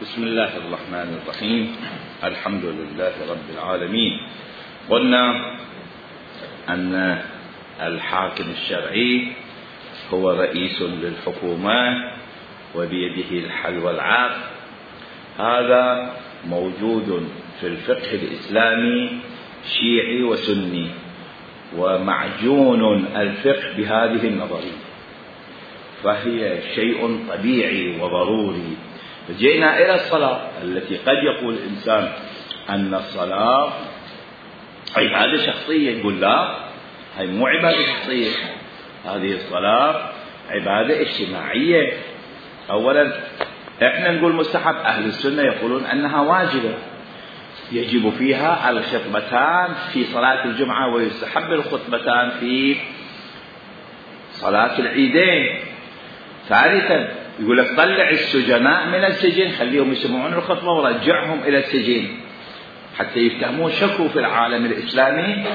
بسم الله الرحمن الرحيم. الحمد لله رب العالمين. قلنا أن الحاكم الشرعي هو رئيس للحكومة وبيده الحل والعقد. هذا موجود في الفقه الإسلامي شيعي وسني، ومعجون الفقه بهذه النظرية، فهي شيء طبيعي وضروري. جئنا إلى الصلاة التي قد يقول الإنسان أن الصلاة عبادة شخصية، يقول لا، هي مو عبادة شخصية، هذه الصلاة عبادة اجتماعية. أولا احنا نقول مستحب، أهل السنة يقولون أنها واجبة، يجب فيها الخطبتان في صلاة الجمعة، ويستحب الخطبتان في صلاة العيدين. ثالثا يقول لك طلع السجناء من السجن، خليهم يسمعون الخطبة ورجعهم إلى السجن حتى يفتهمون شكوا في العالم الإسلامي.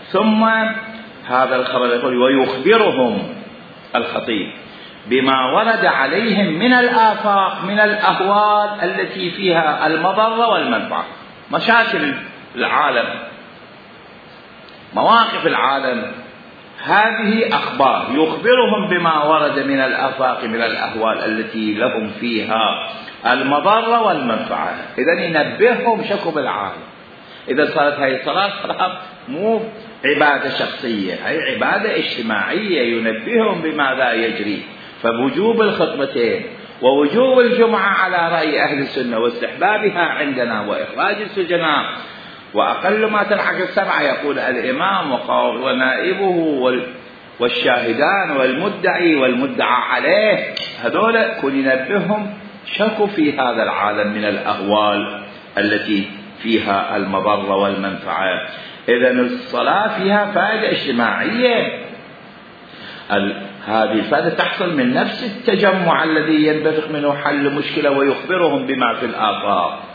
ثم هذا الخبر يقول ويخبرهم الخطيب بما ورد عليهم من الآفاق، من الأهوال التي فيها المضرة والمنفعة، مشاكل العالم، مواقف العالم، هذه أخبار يخبرهم بما ورد من الآفاق، من الأهوال التي لهم فيها المضرة والمنفعة. إذن ينبههم شكوا بالعالم. إذا صارت هذه الصلاة مو عبادة شخصية، هي عبادة اجتماعية، ينبههم بماذا يجري. فوجوب الخطبتين ووجوب الجمعة على رأي أهل السنة واستحبابها عندنا، وإخراج السجناء، وأقل ما تلحق السبعة يقول الإمام ونائبه والشاهدان والمدعي والمدعى عليه، هذول كن ينبههم شكوا في هذا العالم من الأهوال التي فيها المضرة والمنفعة. إذن الصلاة فيها فائدة اجتماعية، هذه الفائدة تحصل من نفس التجمع الذي ينبثق منه حل مشكلة ويخبرهم بما في الآفاق.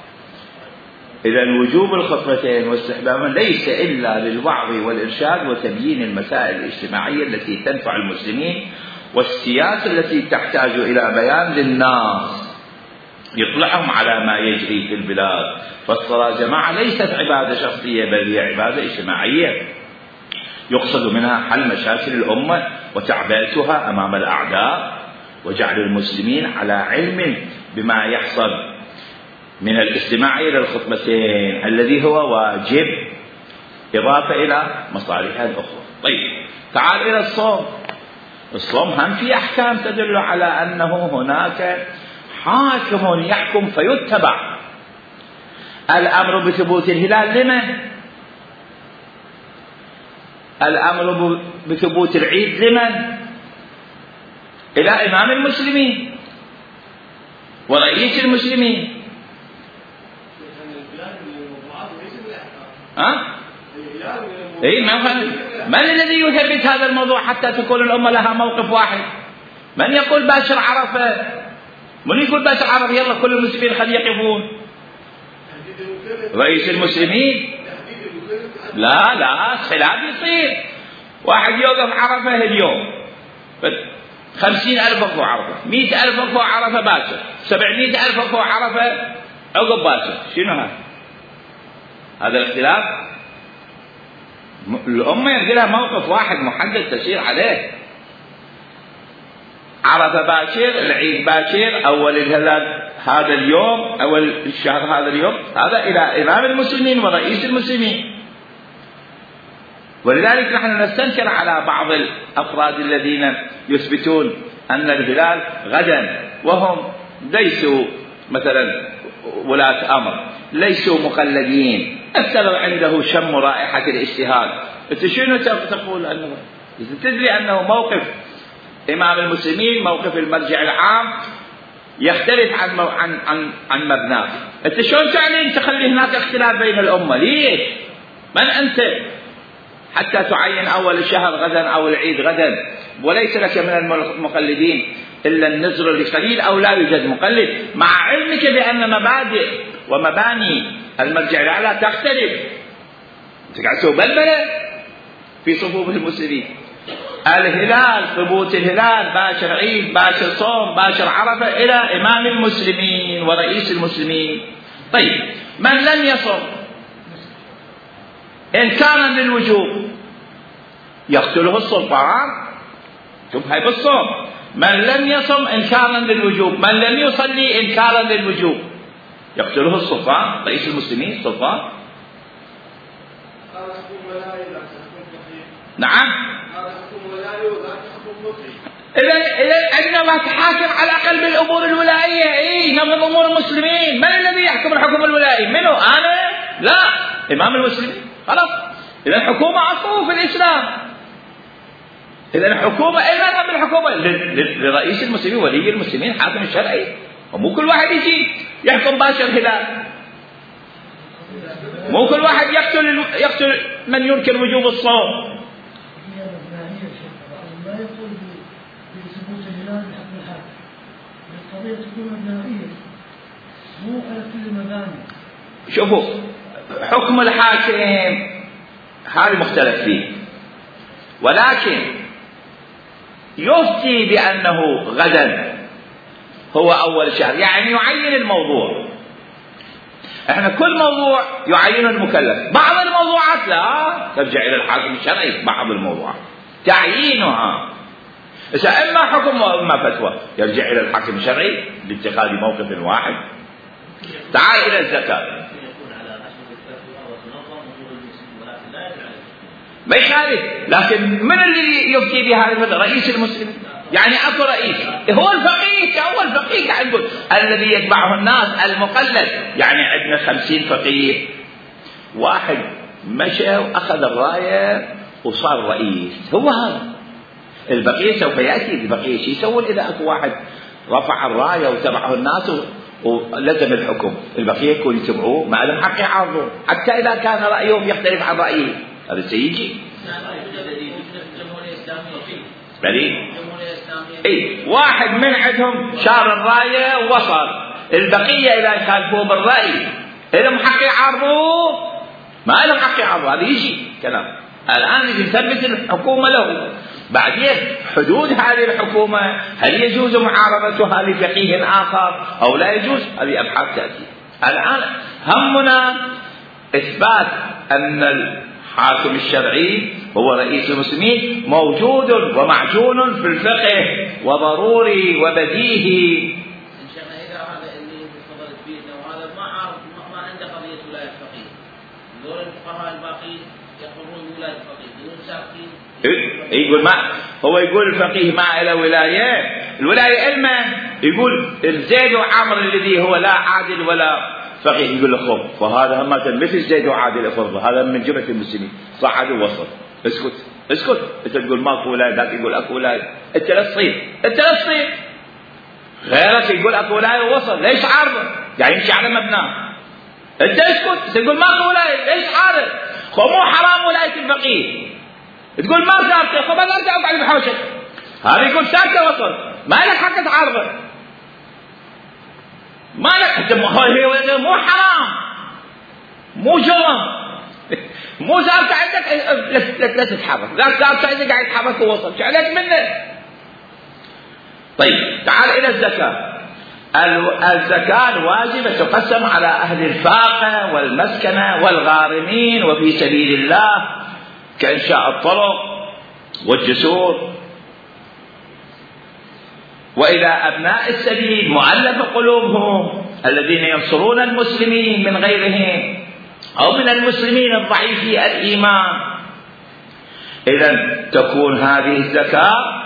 إذن وجوب الخطبتين واستحبابها ليس إلا للوعظ والإرشاد وتبيين المسائل الاجتماعية التي تنفع المسلمين، والسياسة التي تحتاج إلى بيان للناس يطلعهم على ما يجري في البلاد. فالصلاة جماعة ليست عبادة شخصية، بل هي عبادة اجتماعية يقصد منها حل مشاكل الأمة وتعبئتها أمام الأعداء، وجعل المسلمين على علم بما يحصل من الاستماع إلى الخطبتين الذي هو واجب، إضافة إلى مصالحها الأخرى. طيب تعال إلى الصوم. الصوم هم في أحكام تدل على أنه هناك حاكم يحكم فيتبع. الأمر بثبوت الهلال لمن؟ الأمر بثبوت العيد لمن؟ إلى إمام المسلمين ورئيس المسلمين. إيه، من الذي يثبت هذا الموضوع حتى تكون الأمة لها موقف واحد؟ من يقول باشر عرفة؟ من يقول باشر عرفة يلا كل المسلمين خلي يقفون؟ رئيس المسلمين. لا خلاف يصير. واحد يوقف عرفة اليوم 50,000 وقفوا عرفة، 100,000 وقفوا عرفة باشر، 700,000 وقفوا عرفة عقب باشر. شنو هذا الاختلاف؟ الأمة يبدي لها موقف واحد محدد تسير عليه. عرفة باشر، العيد باشر، أول الهلال هذا اليوم، أول الشهر هذا اليوم، هذا إلى إمام المسلمين ورئيس المسلمين. ولذلك نحن نستنكر على بعض الأفراد الذين يثبتون أن الهلال غدا، وهم ليسوا مثلا ولاة أمر، ليسوا مقلدين، السبب عنده شم رائحة الاجتهاد. أنت شنو تقول أنه تدري أنه موقف إمام المسلمين، موقف المرجع العام يختلف عن مبناه. أنت شلون تعلن تخلي هناك اختلاف بين الأمة؟ ليش؟ من أنت حتى تعين أول الشهر غدا أو العيد غدا؟ وليس لك من المقلدين إلا النزر القليل أو لا يوجد مقلد، مع علمك بأن مبادئ ومباني المرجع الأعلى تختلف. أنت قاعد تسوي بلبلة في صفوف المسلمين. الهلال، ثبوت الهلال، باشر عيد، باشر صوم، باشر عرفة، إلى إمام المسلمين ورئيس المسلمين. طيب من لم يصم إنكارا للوجوب يقتله السلطان. شوف هاي بالصوم، من لم يصم إنكارا للوجوب، من لم يصلي إنكارا للوجوب يقتله السلطان، رئيس المسلمين السلطان. نعم. إذا عندما تحاكم على الأقل بالأمور الولائية، نظم أمور المسلمين. من الذي يحكم الحكم الولائي؟ منه أنا؟ لا، إمام المسلمين. خلاص، إذا الحكومة أصله في الإسلام. إذا الحكومة إذا من الحكومة لرئيس المسلمين، ولي المسلمين، حاكم الشرعي، ومو كل واحد يجي يحكم باشر هلال. مو كل واحد يقتل من ينكر وجوب الصوم. شوفوا حكم الحاكم هذا مختلف فيه، ولكن يفتي بأنه غدا هو أول شهر، يعني يعين الموضوع. احنا كل موضوع يعين المكلف، بعض الموضوعات لا، ترجع إلى الحاكم الشرعي. بعض الموضوعات تعيينها إذا إما حكم وإما فتوى يرجع إلى الحاكم الشرعي لاتخاذ موقف واحد. تعال إلى الزكاة. ما يخالف، لكن من اللي يفتي بهذا؟ رئيس المسلمين. يعني أكو رئيس هو الفقيه، هو الفقيه قاعد نقول الذي يتبعه الناس المقلد. يعني عندنا 50 فقيه، واحد مشى وأخذ الراية وصار رئيس، هو هذا. البقية سوف يأتي، البقية شو يسوون إذا أكو واحد رفع الراية وتبعه الناس ولزم الحكم؟ البقية يكون يتبعوه، ما لهم حق يعارضون حتى إذا كان رأيهم يختلف عن رأيه. هذا سيجي واحد من عندهم شار الراية ووصل، البقية إذا يخالفوه بالرأي لهم حق يعارضوه؟ ما لهم حق يعارضوه. هذا يجي كلام. الآن يثبت الحكومة له، بعدين حدود هذه الحكومة، هل يجوز معارضتها لفقيه آخر أو لا يجوز؟ هذه أبحاث تأتي. الآن همنا إثبات أن الحاكم الشرعي هو رئيس المسلمين موجود ومعجون في الفقه وضروري وبديهي. إن شاء الله إذا هذا اللي تفضلت فيه وهذا ما عنده قضية ولاية فقيه، دور الفقهاء الباقين يقولون ولاية فقيه بدون ساكتين. يقول ما هو يقول الفقيه ما له ولاية، الولاية إلما يقول زيد وعمر الذي هو لا عادل ولا فقيه، يقول له خب فهذا هم مثل زيد وعادل افرض هذا من جملة المسلمين صعد ووصل. اسكت اسكت، انت تقول ماكو ولاية، ذاك يقول اكو ولاية. انت لا تصير، انت لا تصير، غيرك يقول اكو ولاية ووصل، ليش عارضه؟ يعني يمشي على مبناه. انت اسكت، تقول ماكو ولاية، ليش عارض؟ خو مو حرام ولاية الفقيه، تقول ما ساكته، خب انا ارجع اقعد بحوشك. هذا يقول ساكته وصل، ما لك حق تعارضه، ما لك. انت مو حرام، مو جرم، مو ثابت عندك لا تتحرك، لا ثابت عندك قاعد يتحرك ووصل، شو عليك منه؟ طيب تعال الى الزكاة. الزكاة واجبة تقسم على أهل الفاقة والمسكنة والغارمين وفي سبيل الله كإنشاء الطرق والجسور، وإلى أبناء السبيل مؤلف قلوبهم الذين ينصرون المسلمين من غيرهم أو من المسلمين الضعيفي الإيمان. إذن تكون هذه الزكاة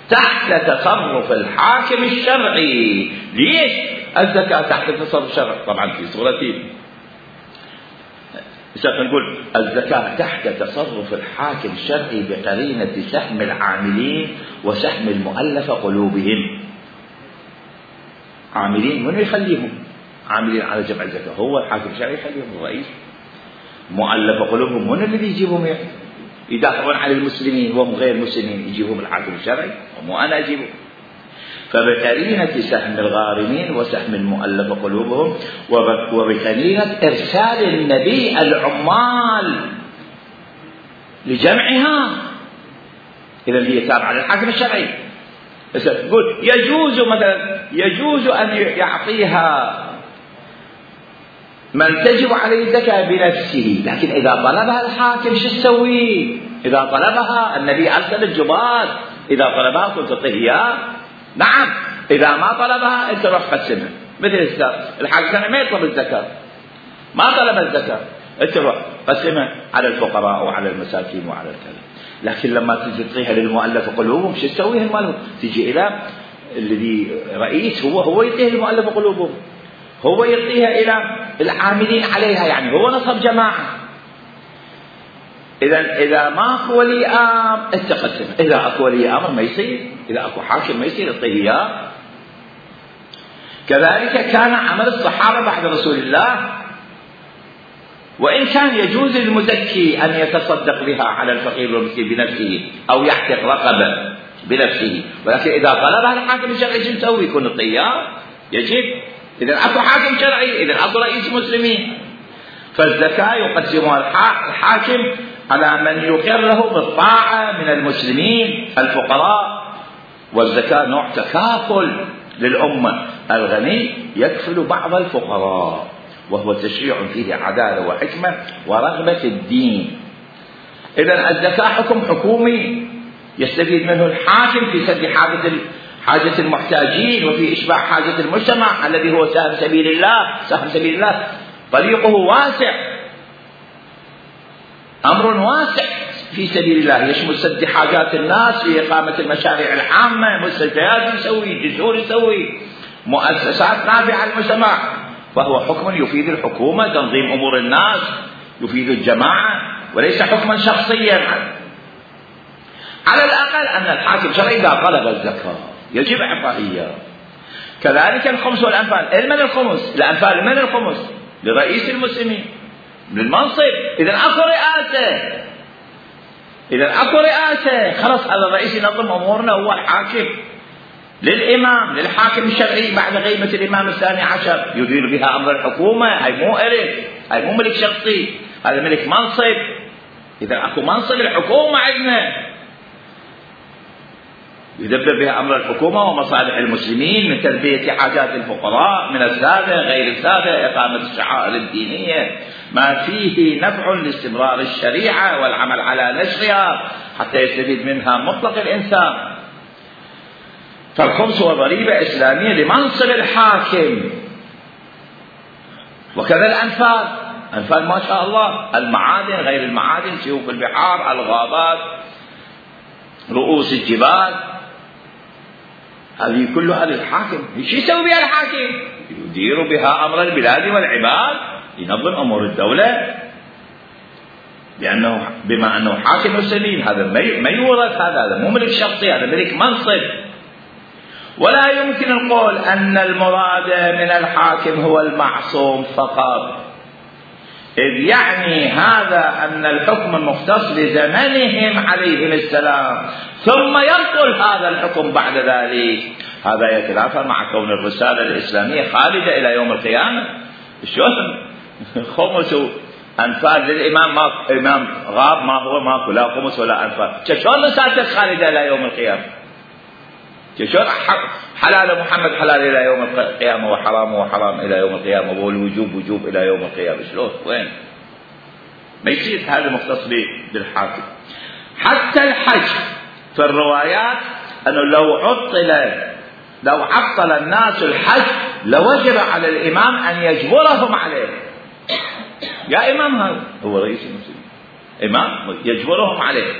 تحت تصرف الحاكم الشرعي. ليش الزكاة تحت تصرف الشرعي؟ طبعا في صورتين. نقول الزكاة تحت تصرف الحاكم الشرعي بقرينة سهم العاملين وسهم المؤلف قلوبهم. عاملين من يخليهم عاملين على جمع الزكاة؟ هو الحاكم الشرعي يخليهم الرئيس. مؤلف قلوبهم من الذي يجيبهم يدافعون عن المسلمين وهم غير مسلمين؟ يجيبهم الحاكم الشرعي، ومو أنا أجيبهم. فبقرينة سهم الغارمين وسهم المؤلف قلوبهم، وبقرينة إرسال النبي العمال لجمعها. إذا هي تابعة للحاكم الشرعي. يقول يجوز أن يعطيها من تجب عليه الزكاة بنفسه، لكن إذا طلبها الحاكم شو تسوي؟ إذا طلبها النبي أرسل الجبال، إذا طلبها كنت تعطيه إياه؟ نعم. إذا ما طلبها أنت روح قسمها. مثل الحاكم ما يطلب الزكاة، ما طلب الزكاة، أنت روح قسمها على الفقراء وعلى المساكين وعلى الكلام. لكن لما تجي تعطيها للمؤلف قلوبهم شو تسوي المؤلف؟ تجي إلى الذي رئيس هو يعطيها للمؤلف قلوبهم، هو يعطيها إلى العاملين عليها، يعني هو نصب جماعة. إذا ماكو ولي أمر أنت قسمها، إذا أكو ولي أمر ما يصير، إذا أكو حاكم ما يصير يعطيه إياه. كذلك كان عمل الصحابة بعد رسول الله، وإن كان يجوز للمزكي أن يتصدق بها على الفقير والمسكين بنفسه أو يعتق رقبة بنفسه، ولكن إذا طلبها الحاكم الشرعي شو نسوي؟ يكون الطيار يجب. إذا أكو حاكم شرعي، إذا أكو رئيس مسلمين، فالزكاة يقسمها الحاكم على من يقر له بالطاعة من المسلمين الفقراء. والزكاة نوع تكافل للأمة، الغني يكفل بعض الفقراء، وهو تشريع فيه عدالة وحكمة ورغبة الدين. إذن الزكاة حكم حكومي يستفيد منه الحاكم في سد حاجة المحتاجين وفي إشباع حاجة المجتمع الذي هو سهم سبيل الله. سهم سبيل الله طريقه واسع، أمر واسع في سبيل الله، يشمل سد حاجات الناس في إقامة المشاريع العامة، مستشفيات يسوي، جسور يسوي، مؤسسات نافعة للمجتمع. فهو حكم يفيد الحكومة، تنظيم أمور الناس، يفيد الجماعة، وليس حكما شخصيا. على الأقل أن الحاكم شرعي إذا طلب الزكاة يجب إعطائها. كذلك الخمس والأنفال. من الخمس؟ الأنفال من الخمس؟ لرئيس المسلمين للمنصب. إذا أكو رئاسة خلاص على الرئيس ينظم أمورنا، هو الحاكم. للإمام، للحاكم الشرعي بعد غيبة الإمام الثاني عشر يدير بها أمر الحكومة. هاي مو إلك، هاي مو ملك شخصي، هذا ملك منصب. إذا أكو منصب الحكومة عندنا يدبر بها أمر الحكومة ومصالح المسلمين، من تلبية حاجات الفقراء من السادة غير السادة، إقامة الشعائر الدينية، ما فيه نفع لاستمرار الشريعة والعمل على نشرها حتى يستفيد منها مطلق الإنسان. فالخمس هو ضريبة إسلامية لمنصب الحاكم. وكذا الأنفال. أنفال ما شاء الله، المعادن غير المعادن، سيوف البحار، الغابات، رؤوس الجبال، هذه كلها للحاكم. شو يسوي بها الحاكم؟ يدير بها أمر البلاد والعباد، ينظم أمور الدولة، لأنه بما أنه حاكم مسلمين. هذا ما يورث، هذا مو ملك شخصي، هذا ملك منصب. ولا يمكن القول أن المراد من الحاكم هو المعصوم فقط، إذ يعني هذا أن الحكم مختص لزمنهم عليهم السلام، ثم ينقل هذا الحكم بعد ذلك. هذا يتنافى مع كون الرسالة الإسلامية خالدة إلى يوم القيامة. شلون خمس أنفال للإمام؟ ما إمام غاب، ما هو ماكو لا خمس ولا أنفال. شلون رسالتك خالدة إلى يوم القيامة؟ شلون حلال محمد حلال إلى يوم القيامة وحرام حرام إلى يوم القيامة والوجوب وجوب إلى يوم القيامة؟ شلون؟ وين؟ ما يصير. هذا مختص بالحاكم. حتى الحج في الروايات أنه لو عطل الناس الحج لوجب على الإمام أن يجبرهم عليه. يا إمام، هذا هو رئيس المسلمين، إمام يجبرهم عليه.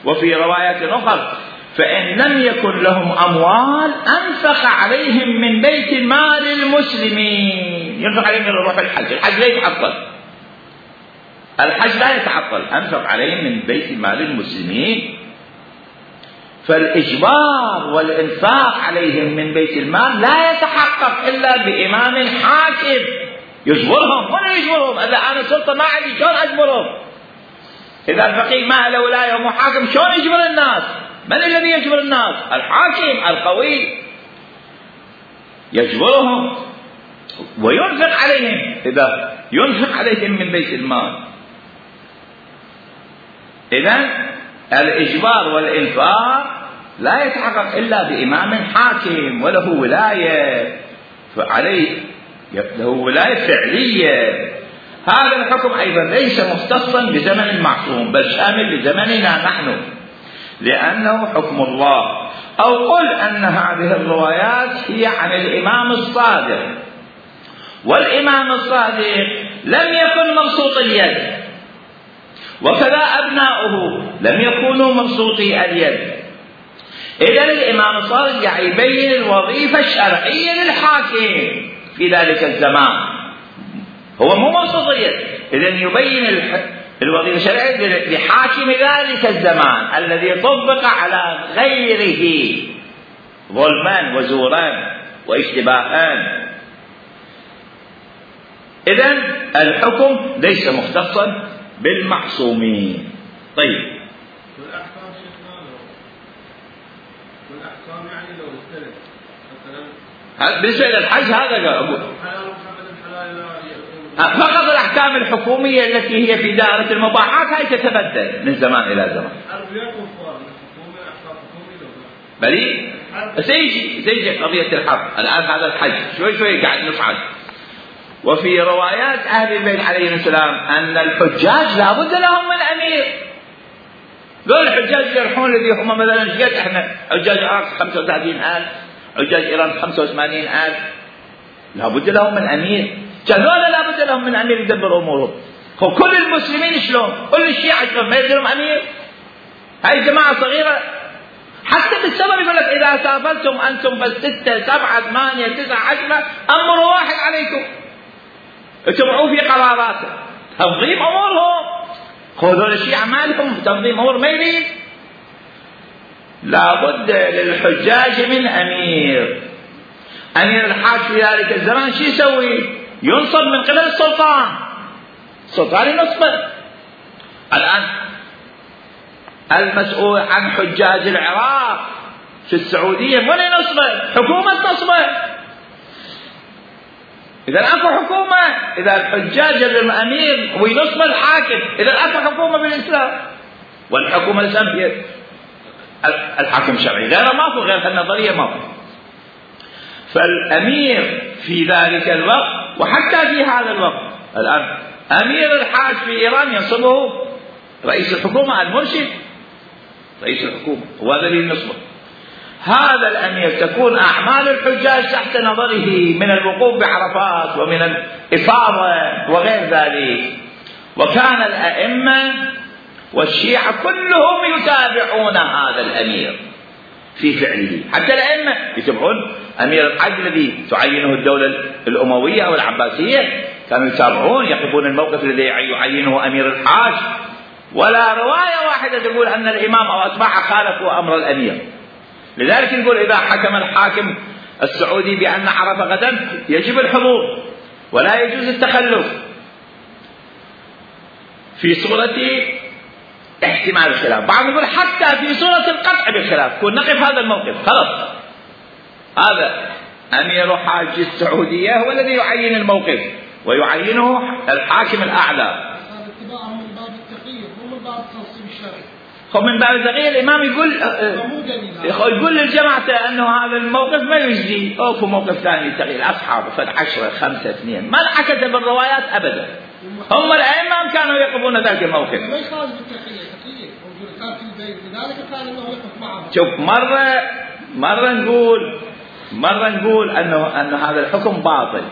وفي روايات أخرى فإن لم يكن لهم أموال أنفق عليهم من بيت المال المسلمين. ينفق عليهم يروح الحج لا يتعطل، الحج لا يتعطل، أنفق عليهم من بيت المال المسلمين. فالإجبار والإنفاق عليهم من بيت المال لا يتحقق إلا بإمام حاكم يجبرهم. ولا يجبرهم؟ إذا أنا سلطة ما عندي شلون أجبرهم؟ إذا الفقيه ما له ولاية ومحاكم شلون يجبر الناس؟ من الذي يجبر الناس؟ الحاكم القوي يجبرهم وينفق عليهم. إذا ينفق عليهم من بيت المال، إذن الإجبار والإنفاق لا يتحقق إلا بإمام حاكم وله ولاية فعليه له ولاية فعلية. هذا الحكم أيضا ليس مختصا بزمن المعصوم بل شامل لزمننا نحن لأنه حكم الله. أو قل أن هذه الروايات هي عن الإمام الصادق، والإمام الصادق لم يكن مبسوط اليد، وكذا أبناؤه لم يكونوا مبسوطي اليد. إذن الإمام الصادق يبين الوظيفة الشرعية للحاكم في ذلك الزمان، هو مو مبسوط اليد، إذن يبين الوظيفة الشرعية لحاكم ذلك الزمان الذي طبق على غيره ظلما وزورا واشتباها. إذن الحكم ليس مختصا بالمعصومين. طيب والأحكام شيخنا والأحكام يعني لو استلم مثلا بالنسبة للحج هذا أقول فقط الأحكام الحكومية التي هي في دائرة المباحات هاي تتبدل من زمان إلى زمان. بلي سيجي قضية الحرب الآن هذا الحج شوي قاعد نصعد. وفي روايات أهل البيت عليهم السلام أن الحجاج لابد لهم من أمير. دول الحجاج يروحون الذي هم مثلا شقد احنا حجاج العراق 35,000 حجاج إيران 85,000 لابد لهم من أمير. جهلونا لابد لهم من أمير يدبر أمورهم. كل المسلمين شلون؟ كل الشيعة شلون؟ ما يدرون أمير؟ هاي جماعة صغيرة حتى بالسبب يقول لك إذا سافرتم أنتم بس 6 7 8 9 10 أمر واحد عليكم اتبعوا في قراراته تنظيم أمورهم. هذول الشيعة ما لهم تنظيم أمور ما يريد. لابد للحجاج من أمير. أمير الحاج في ذلك الزمان شو يسوي؟ ينصب من قبل السلطان ينصبه. الآن المسؤول عن حجاج العراق في السعودية من ينصبه؟ حكومة تصبه. إذا أكو حكومة، إذا الحجاج الأمير وينصب الحاكم، إذا أكو حكومة بالإسلام. والحكومة الإسلام هي الحاكم الشرعي، غير ماكو، غير النظرية ماكو. فالأمير في ذلك الوقت وحتى في هذا الوقت الآن أمير الحاج في إيران ينصبه رئيس الحكومة المرشد، رئيس الحكومة هو الذي ينصبه. هذا الأمير تكون أعمال الحجاج تحت نظره من الوقوف بعرفات ومن الإفاضة وغير ذلك. وكان الأئمة والشيعة كلهم يتابعون هذا الأمير في فعله، حتى الأئمة يتبعون أمير الحج الذي تعينه الدولة الأموية أو العباسية، كانوا يتابعون يقفون الموقف الذي يعينه أمير الحاج. ولا رواية واحدة تقول أن الإمام أو أتباعه خالفوا أمر الأمير. لذلك نقول إذا حكم الحاكم السعودي بأن عرفة غدا يجب الحضور ولا يجوز التخلف في صورة احتمال الخلاف. بعض يقول حتى في صورة القطع بالخلاف كون نقف هذا الموقف خلاص، هذا أمير حاج السعودية هو الذي يعين الموقف ويعينه الحاكم الأعلى. اتباعهم من باب التقييد مو من باب التنصيب الشرعي. من باب التغيير الإمام يقول للجماعة أنه هذا الموقف ما يجزي، أو موقف ثاني للتغيير. أصحابه فد 10 5 2 ما انعكس بالروايات أبدا. هم الأئمة كانوا يقفون ذلك الموقف. ما يخالف التقييد موجود كان في البيت، لذلك كان أنه يقف معهم. شوف مرة نقول أن هذا الحكم باطل،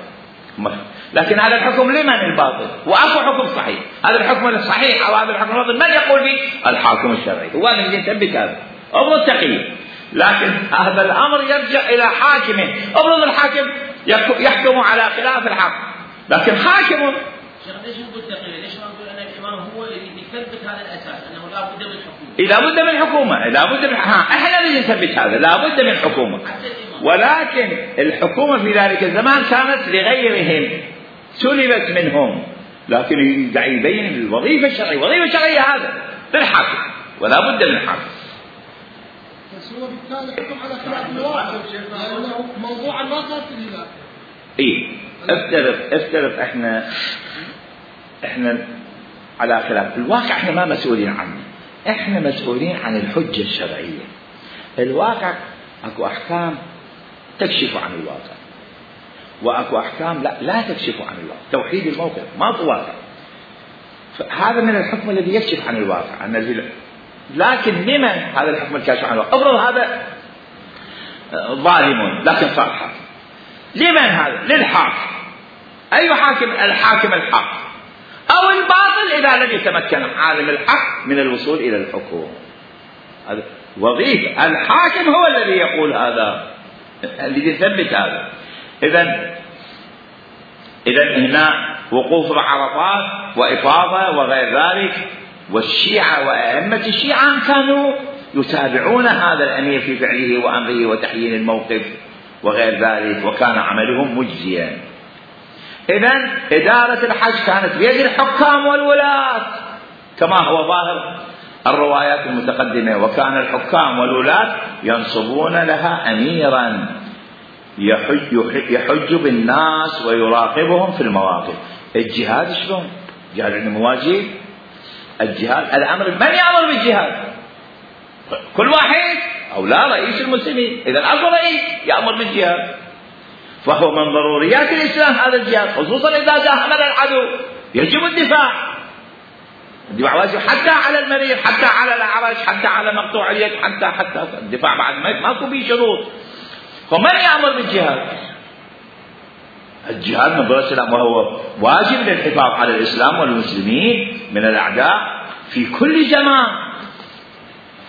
لكن هذا الحكم لمن الباطل؟ وأكو حكم صحيح. هذا الحكم الصحيح أو هذا الحكم الباطل من يقول به؟ الحاكم الشرعي هو الذي يثبت هذا. أمر التقييد، لكن هذا الأمر يرجع إلى حاكمه. أفرض الحاكم يحكم على خلاف الحق، لكن حاكم. ليش نقول تقييد؟ ليش ما نقول أن الإمام هو الذي يثبت هذا الأساس أنه لا بد من حكومة؟ لا بد من حكومة، لا بد من إحنا الذي نثبت هذا، لا بد من حكومة. ولكن الحكومة في ذلك الزمان كانت لغيرهم، سلبت منهم، لكن يبين الوظيفة الشرعية. الوظيفة الشرعية هذا للحاكم ولا بد من حاكم. بس هو بالتالي حكم على خلاف الواقع لأنه موضوعا ما صار في الهلال. افترض احنا على خلاف الواقع، احنا ما مسؤولين عنه. احنا مسؤولين عن الحجة الشرعية. الواقع اكو احكام تكشف عن الواقع، واكو احكام لا تكشف عن الواقع. توحيد الموقف ماكو واقع، هذا من الحكم الذي يكشف عن الواقع. لكن لمن هذا الحكم الكاشف عن الواقع؟ افرض هذا ظالم لكن صار حاكم، لمن هذا؟ للحاكم. اي حاكم؟ الحاكم الحق، او الباطل اذا لم يتمكن عالم الحق من الوصول الى الحكم. وظيفة الحاكم هو الذي يقول هذا، الذي يثبت هذا. إذا هنا وقوف بعرفات وإفاضة وغير ذلك، والشيعة وأئمة الشيعة كانوا يتابعون هذا الأمير في فعله وأمره وتحيين الموقف وغير ذلك، وكان عملهم مجزيا. إذن إدارة الحج كانت بيد الحكام والولاة كما هو ظاهر الروايات المتقدمة، وكان الحكام والولاة ينصبون لها أميرا يحج بالناس ويراقبهم في المواقف. الجهاد شلون؟ الجهاد عنده مواجب. الجهاد الأمر، من يأمر بالجهاد؟ كل واحد أو لا رئيس المسلمين. إذا أكو رئيس يأمر بالجهاد، فهو من ضروريات الإسلام هذا الجهاد، خصوصا إذا داهم العدو يجب الدفاع واجب، حتى على المريض، حتى على الأعرج، حتى على مقطوع اليد، حتى الدفاع بعد ماكو به شروط. فمن يأمر بالجهاد؟ الجهاد من ضرورة الإسلام، وهو واجب للحفاظ على الإسلام والمسلمين من الأعداء في كل زمان.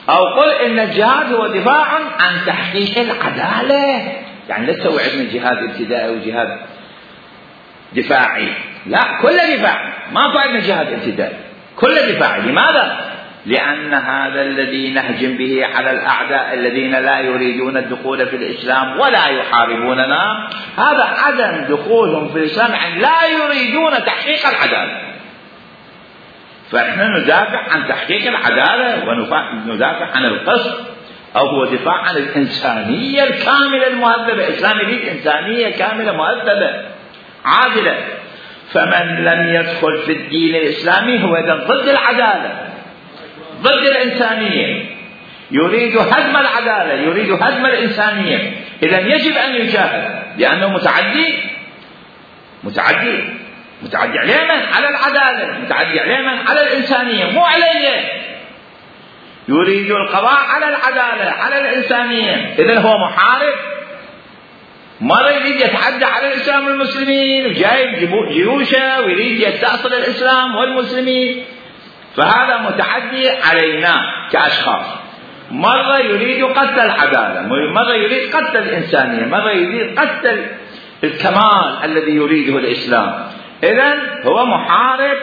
أو قل إن الجهاد هو دفاع عن تحقيق العدالة، يعني لا تسوي عندنا جهاد ابتدائي وجهاد دفاعي، لا، كل دفاع، ما عندنا جهاد ابتدائي، كل دفاع. لماذا؟ لأن هذا الذي نهجم به على الأعداء الذين لا يريدون الدخول في الإسلام ولا يحاربوننا، هذا عدم دخولهم في الإسلام، يعني لا يريدون تحقيق العدالة. فإحنا ندافع عن تحقيق العدالة وندافع عن القسط، أو هو دفاع عن الإنسانية الكاملة المهذبة. الإسلام يريد إنسانية كاملة مهذبة عادلة. فمن لم يدخل في الدين الإسلامي هو إذن ضد العدالة، ضد الإنسانية، يريد هدم العدالة، يريد هدم الإنسانية. إذن يجب أن يجاهد، لأنه متعدي عليه من؟ على العدالة، متعدي عليه من؟ على الإنسانية، مو عليه. يريد القضاء على العدالة، على الإنسانية. إذن هو محارب، ما يريد يتعدى على الإسلام والمسلمين، وجايب جيوشه ويريد يستأصل الإسلام والمسلمين. فهذا متعدي علينا كأشخاص. مرة يريد قتل العدالة، مرة يريد قتل الإنسانية، مرة يريد قتل الكمال الذي يريده الإسلام. إذن هو محارب،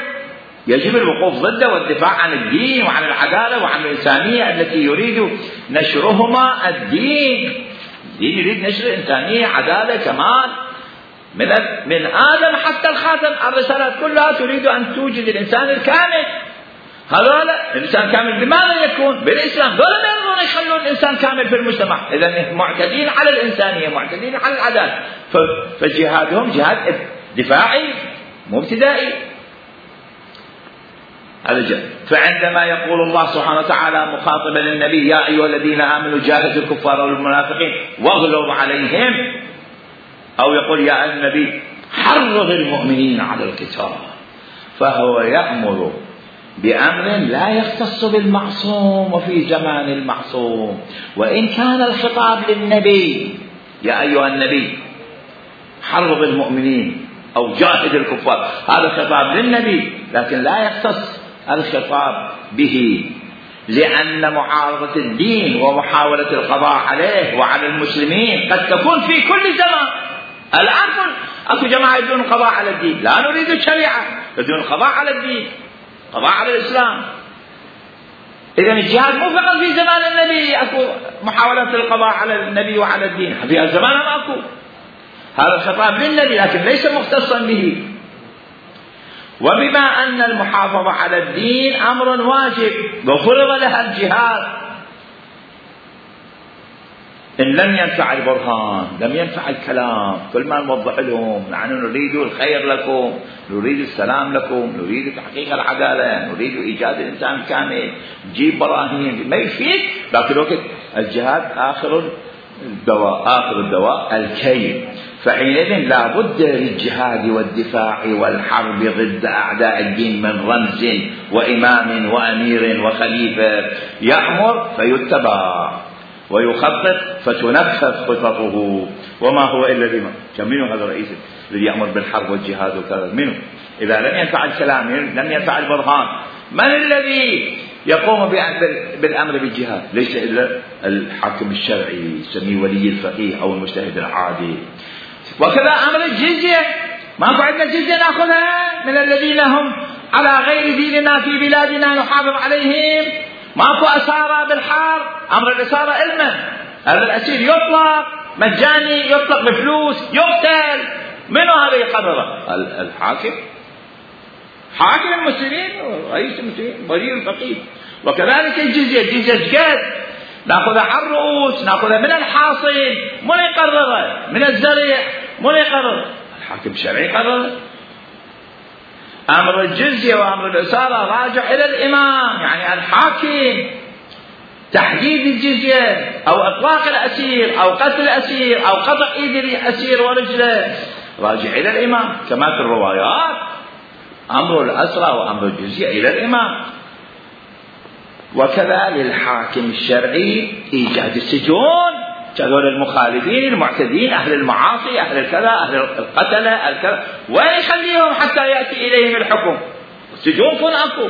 يجب الوقوف ضده والدفاع عن الدين وعن العدالة وعن الإنسانية التي يريد نشرهما. الدين يريد نشر الإنسانية، عدالة، كمال، من آدم حتى الخاتم. الرسالات كلها تريد أن توجد الإنسان الكامل. هذولا الإنسان كامل بماذا يكون؟ بالإسلام. دول ما يرضون يخلون الإنسان كامل في المجتمع. إذن معتدين على الإنسانية، معتدين على العدالة. فجهادهم جهاد دفاعي مو ابتدائي. فعندما يقول الله سبحانه وتعالى مخاطبا للنبي: يا أيها الذين آمنوا جاهدوا الكفار والمنافقين واغلظوا عليهم، أو يقول يا النبي حرض المؤمنين على القتال، فهو يأمر بأمر لا يختص بالمعصوم وفي زمان المعصوم. وإن كان الخطاب للنبي يا أيها النبي حرض المؤمنين أو جاهد الكفار، هذا خطاب للنبي، لكن لا يختص الخطاب به، لأن معارضة الدين ومحاولة القضاء عليه وعلى المسلمين قد تكون في كل زمان. الآن أكو جماعة يريدون القضاء على الدين، لا نريد الشريعة، يريدون القضاء على الدين، قضاء على الإسلام. إذن الجهاد مو فقط في زمان النبي أكو محاولة القضاء على النبي وعلى الدين، في الزمان ما أكو. هذا الخطاب للنبي لكن ليس مختصا به. وبما أن المحافظة على الدين أمر واجب وفرض لها الجهاد، إن لم ينفع البرهان لم ينفع الكلام، كل ما نوضح لهم نحن نريد الخير لكم، نريد السلام لكم، نريد تحقيق العدالة، نريد إيجاد الإنسان الكامل، نجيب براهين، ما يفيد. لكن الوقت الجهاد آخر الدواء الكي. فحينئذ لا بد للجهاد والدفاع والحرب ضد أعداء الدين من رمز وإمام وأمير وخليفة يأمر فيتبع ويخطط فتنفذ خططه. وما هو إلا الإمام. منه هذا الرئيس الذي يأمر بالحرب والجهاد وكذا؟ منه. إذا لم ينفع الكلام لم ينفع البرهان، من الذي يقوم بالأمر بالجهاد؟ ليس إلا الحاكم الشرعي، يسميه ولي الفقيه أو المجتهد العادي. وكذا أمر الجزية، ما عندنا جزية نأخذها من الذين هم على غير ديننا في بلادنا نحافظ عليهم. ماكو أسارة بالحرب، أمر الأسارة علما، هذا الأسير يطلق مجاني، يطلق بفلوس، يقتل. منو هذا يقرره؟ الحاكم، حاكم المسلمين، رئيس المسلمين، ولي الفقيه. وكذلك الجزية قد نأخذها على الرؤوس، نأخذها من الحاصل، من يقرره؟ من الزرع، من يقرره؟ الحاكم الشرعي يقرره. أمر الجزية وأمر الأسارة راجع إلى الإمام، يعني الحاكم. تحديد الجزية أو إطلاق الأسير أو قتل الأسير أو قطع إيد الأسير ورجله راجع إلى الإمام. كما في الروايات أمر الأسرى وأمر الجزية إلى الإمام. وكذا للحاكم الشرعي إيجاد السجون، هذول المخالفين المعتدين، أهل المعاصي، أهل الكذا، أهل القتلة، الكذا، وين يخليهم حتى يأتي إليهم الحكم؟ السجون كن أكو.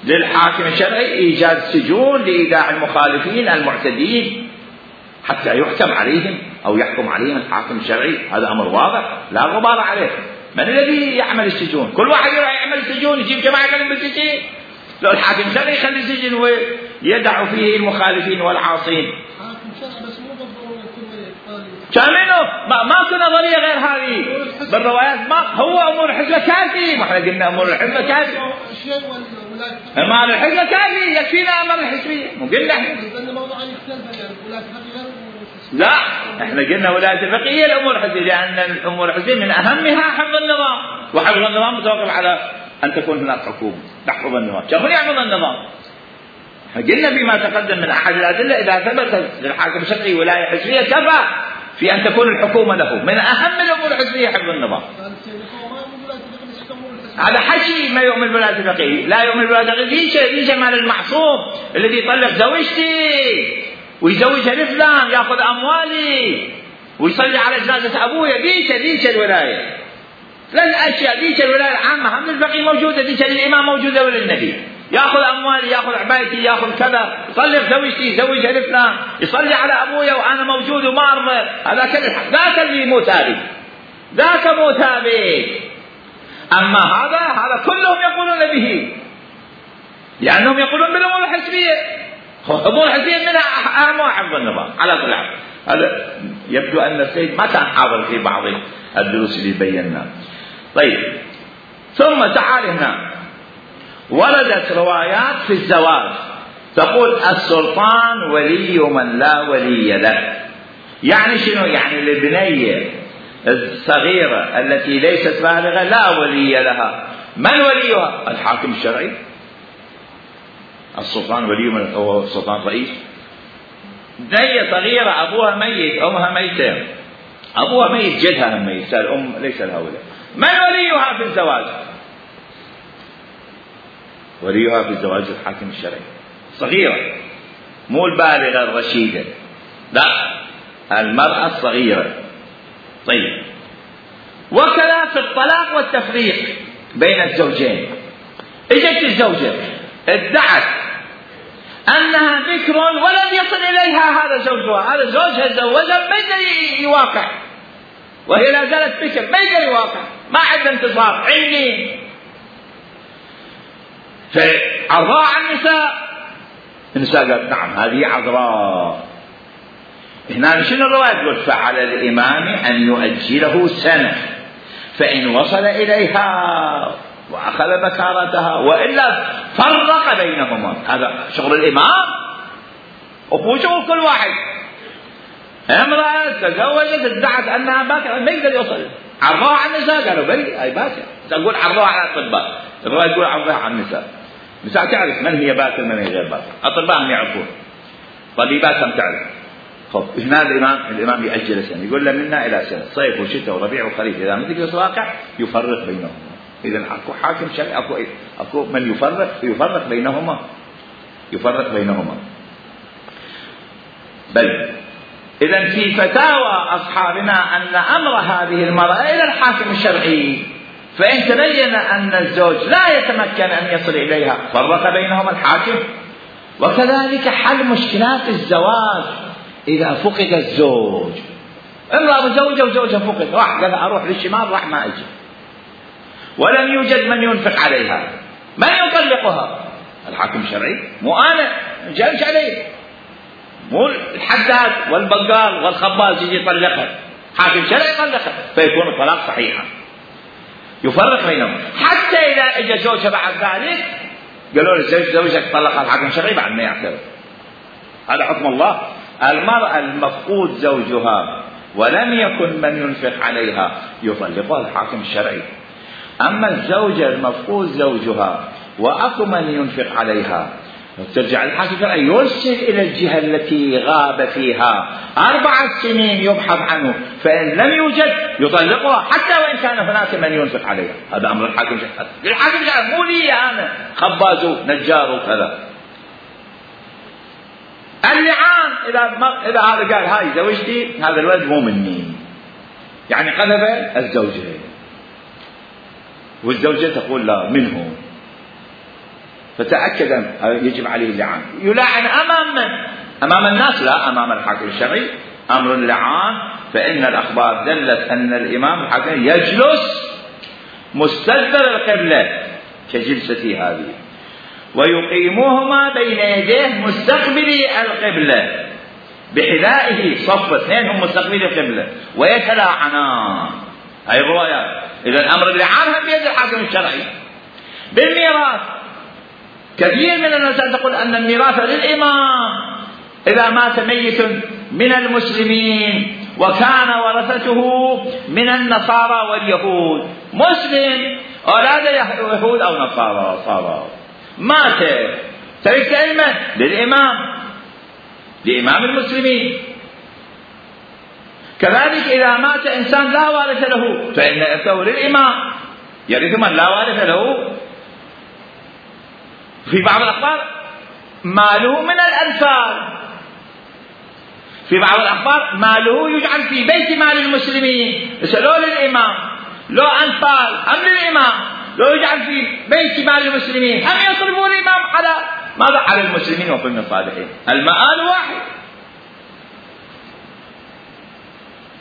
للحاكم الشرعي إيجاد سجون لإيداع المخالفين المعتدين حتى يحكم عليهم أو يحكم عليهم الحاكم الشرعي. هذا أمر واضح لا غبار عليه. من الذي يعمل السجون؟ كل واحد يروح يعمل السجون، يجيب جماعة يخليهم بالسجن. لو الحاكم الشرعي يخلي السجن ويدع فيه المخالفين والعاصين. كامينو ما كنا نظرية غير هذه بالروايات. ما هو أمور الحزب كافي، ما احنا قلنا أمور الحزب كافي، أمر الحزب كافي يكفينا أمر الحزبية. مو قلنا لا، احنا قلنا ولاية الفقهية الأمور الحزبية، لأن الأمور الحزبية من أهمها حفظ النظام، وحفظ النظام متوقف على أن تكون هناك حكومة تحفظ النظام. شغل يحفظ النظام. قلنا فيما تقدم من أحد الأدلة إذا ثبت للحاكم الشرعي ولاية حزبية كفى في أن تكون الحكومة له. من أهم الأمور الحزبية حفظ النظام. على حكي ما يؤمن بالولاية الفقهية، لا يؤمن بالولاية الفقهية. ليش مال المعصوم الذي يطلق زوجتي ويزوجها لفلان، يأخذ أموالي ويصلي على جنازة أبويا، ليش الولاية؟ ثلاث أشياء. ليش الولاية العامة هم الفقيه موجودة، ليش الإمام موجودة ولا النبي؟ يأخذ أموالي، يأخذ عبايتي، يأخذ كذا، يطلق زوجتي، يزوجها لفلان، يصلي على أبويا وأنا موجود وما أرضى. هذا ذاك اللي مو ثابت، ذاك مو ثابت. أما هذا كلهم يقولون به، لأنهم يقولون بالأمور الحزبية. الأمور الحزبية منها أهم حفظ النظام على كل حال. هذا يبدو أن السيد ما كان حاضر في بعض الدروس اللي بيناها. طيب، ثم تعال هنا وردت روايات في الزواج تقول السلطان ولي من لا ولي له. يعني شنو؟ يعني البنية الصغيرة التي ليست بالغة لا ولي لها. من وليها؟ الحاكم الشرعي. السلطان ولي من هو السلطان رئيس. بنية صغيرة أبوها ميت، أمها ميتة، أبوها ميت، جدها ميت، الأم ليس لها ولي. من وليها في الزواج؟ وليها في الزواج الحاكم الشرعي. صغيرة، مو البالغة الرشيدة، لا، المرأة الصغيرة. طيب، وكذا في الطلاق والتفريق بين الزوجين. اجت الزوجة ادعت أنها بكر ولم يصل إليها هذا زوجها، هذا زوجها تزوجها ما يقدر يواقع، وهي لا زالت بكر، ما يقدر يواقع، ما عنده انتصار عيني. فعضاء النساء قالت نعم هذه عذراء. هنا شنو الرواية تقول؟ فعلى الإمام أن يؤجله سنة، فإن وصل إليها وأخذ بكارتها وإلا فرق بينهما. هذا شغل الإمام وهو شغل كل واحد. امرأة تزوجت ادعت أنها باكرة ما يقدر يوصل، عرضوها على النساء قالوا بلي هاي باكرة، تقول عرضوها على الأطباء، الرواية تقول عرضوها على النساء. النساء تعرف من هي باكرة من هي غير باكرة، أطباءهم يعرفون، طبيباتهم تعرف. خب هنا الإمام يأجل سنة، يقول له منا إلى سنة، صيف وشتاء وربيع وخريف، إذا ما تجلس واقع يفرق بينهما. إذا أكو حاكم شرعي، أكو من يفرق بينهما، يفرق بينهما. بل إذا في فتاوى أصحابنا أن أمر هذه المرأة إلى الحاكم الشرعي، فإن تبين أن الزوج لا يتمكن أن يصل إليها فرق بينهما الحاكم. وكذلك حل مشكلات الزواج إذا فقد الزوج، امرأة مزوجة وزوجها فقد، راح قال أروح للشمال راح ما أجي، ولم يوجد من ينفق عليها، من يطلقها؟ الحاكم الشرعي، مو أنا جالس عليه، مو الحداد والبقال والخباز يجي يطلقها، حاكم شرعي يطلقها، فيكون الطلاق صحيحا، يفرق بينهم. حتى إذا اجى زوجها بعد ذلك قالوا له زوجك طلقها الحاكم الشرعي بعد ما يعترف، هذا حكم الله. المرأة المفقود زوجها ولم يكن من ينفق عليها يطلقها الحاكم الشرعي. أما الزوجة المفقود زوجها وأكو من ينفق عليها ترجع الحاكم الشرعي يرسل إلى الجهة التي غاب فيها 4 سنين يبحث عنه، فإن لم يوجد يطلقها حتى وإن كان هناك من ينفق عليها. هذا أمر الحاكم الشرعي، الحاكم الشرعي مو لي أنا خباز نجار وكذا. اللعان إذا هذا قال هاي زوجتي هذا الولد مو مني، يعني قذف الزوجة والزوجة تقول لا منه، فتأكد يجب عليه اللعان. يلعن أمام من؟ أمام الناس؟ لا، أمام الحاكم الشرعي. أمر اللعان فإن الأخبار دلت أن الإمام الحاكم يجلس مستدبر القبلة كجلستي هذه، ويقيموهما بين يديه مستقبلي القبلة بحذائه، صف 2 هم مستقبلي القبلة ويتلاعنان. هاي الروايات. إذا الأمر اللعان هم بيد الحاكم الشرعي. بالميراث كثير من الناس تقول أن الميراث للإمام إذا مات ميت من المسلمين وكان ورثته من النصارى واليهود، مسلم أولاد يهود أو نصارى صار مات تركت علمه لإمام المسلمين. كذلك إذا مات إنسان لا وارث له فإن إرثه للإمام، يرث من لا وارث له. في بعض الأخبار ماله من الأنفال، في بعض الأخبار ماله يجعل في بيت مال المسلمين، لو للإمام لو أنفال أم للإمام، لو يجعل في بيت مال المسلمين هم يصرفون الإمام على ماذا؟ على المسلمين وكل الصالحين، المآل واحد.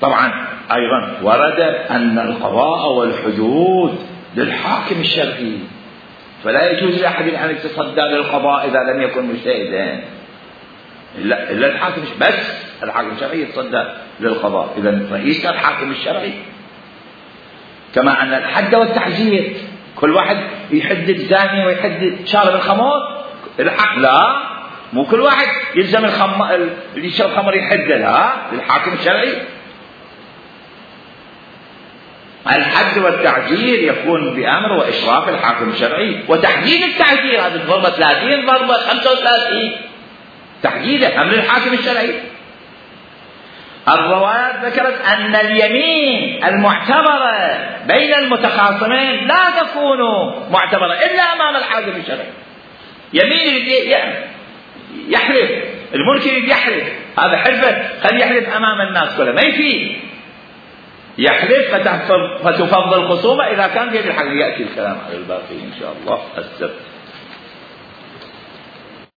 طبعا أيضا ورد أن القضاء والحدود للحاكم الشرعي، فلا يجوز لأحد أن يتصدى للقضاء إذا لم يكن مجتهدا، إلا الحاكم، بس الحاكم الشرعي يتصدى للقضاء. إذا رئيس الحاكم الشرعي. كما أن الحد والتعزير كل واحد يحدد زاني ويحدد شارب الخمر، الحق لا، مو كل واحد يلزم اللي يشرب خمر يحددها، للحاكم الشرعي. الحد والتعزير يكون بأمر وإشراف الحاكم الشرعي، وتحديد التعزير هذه الضربة 30 ضربة 35 تحديده أمر الحاكم الشرعي. الروايات ذكرت أن اليمين المعتبرة بين المتخاصمين لا تكون معتبرة إلا أمام الحاكم الشرعي. يمين يحلف، الملك يحلف، هذا حلفه قد يحلف أمام الناس كلها ما يفيد، يحلف فتفضل الخصومة إذا كان في الحق. يأتي الكلام على الباقي إن شاء الله السبت.